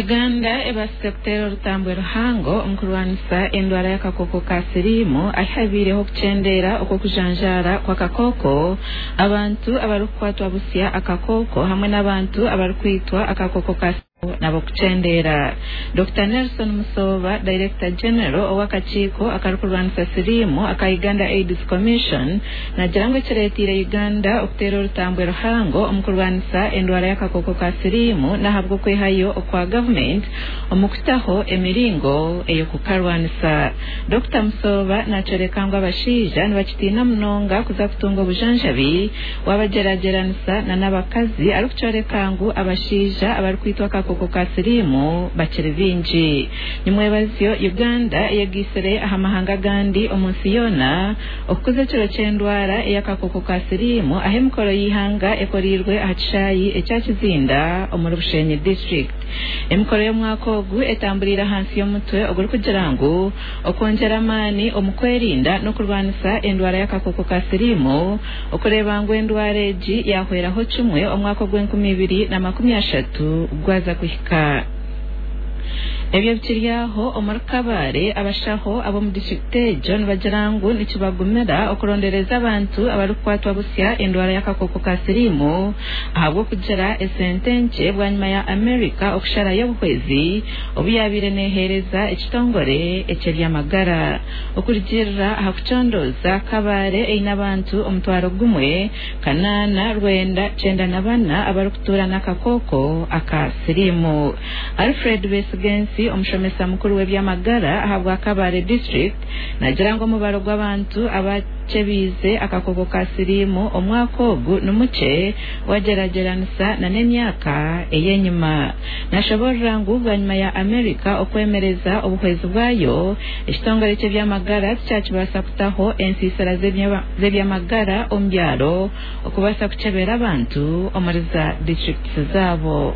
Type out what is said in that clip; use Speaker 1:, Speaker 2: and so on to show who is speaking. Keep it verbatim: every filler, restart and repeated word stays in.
Speaker 1: Uganda ebaasize kuteera orutambwe ruhango omu kurwanisa endwara y'akakooko ka siriimu ahi habaireho okukyendeera okw'okujanjaara kw'akakooko abantu abarikukwatwa busya akakooko hamwe n'abantu abarikwitwa akakooko ka nabo kukyendeera. Dokita Nelson Musoba, Director General ow'akakiiko akarikurwanisa siriimu aka Uganda AIDS Commission, nagira ngu ekireeteire Uganda okuteera orutambwe ruhango omu kurwanisa endwara y'akakooko ka siriimu n'ahabw'okwehayo okwa gavumenti omu kutaho emiringo ey'okukarwanisa. Dokita Musoba nakyoreka ngu abashaija nibakitiina munonga kuza kutunga obujanjabi wabagyeragyeranisa n'abakazi, arikukyoreka ngu abashaija abarikwitwa akakooko ka siriimu bakiri baingi. Nimwebazyo Uganda eyegaitsire aha mahanga agandi omu nsi yoona okukuza ekiro ky'endwara ey'akakooko ka siriimu aho emikoro y'eihanga ekoreirwe aha kishaayi ekya Kizinda omuri Bushenyi District. Emikoro y'omwaka ogu etamburiire ahansi y'omutwe ogurikugira ngu okwongyera amaani omu kwerinda n'okurwanisa endwara y'akakooko ka siriimu, okureeba ngu endwara egi yahweraho kimwe omwaka ogw'enkumi ibiri na makumi ashatu gwaza kuhika. Ebyo bikiri aho, omuri Kabale abashaho ab'omu disiturikiti egyo nibagira ngu nikibagumira okurondereza abantu abarikukwatwa busya endwara y'akakooko ka siriimu ahabw'okugira esente nkye bwanyima ya America okusharayo obuhwezi obu yabaire neeheereza ekitongore eky'ebyamagara. Okurugiirira aha kucondooza, Kabale eine abantu omutwaro gumwe kanaana rwenda kyenda na bana abarikutuura n'akakooko aka siriimu. Alfred Besigensi, omushomesa mukuru w'ebyamagara ahabwa Kabale District, nagira ngu omubaro gw'abantu abakyebiize akakooko ka siriimu omwaka ogu ni mukye wagyeragyeranisa n'emyaka ey'enyima. Nashoborora ngu bwanyima ya America okwemereza obuhwezi bwayo, ekitongore ky'ebyamagara tikyakibaasa kutaho ensiisira z'ebyamagara omu byaro okubaasa kukyebera abantu omuri za disiturikiti zaabo.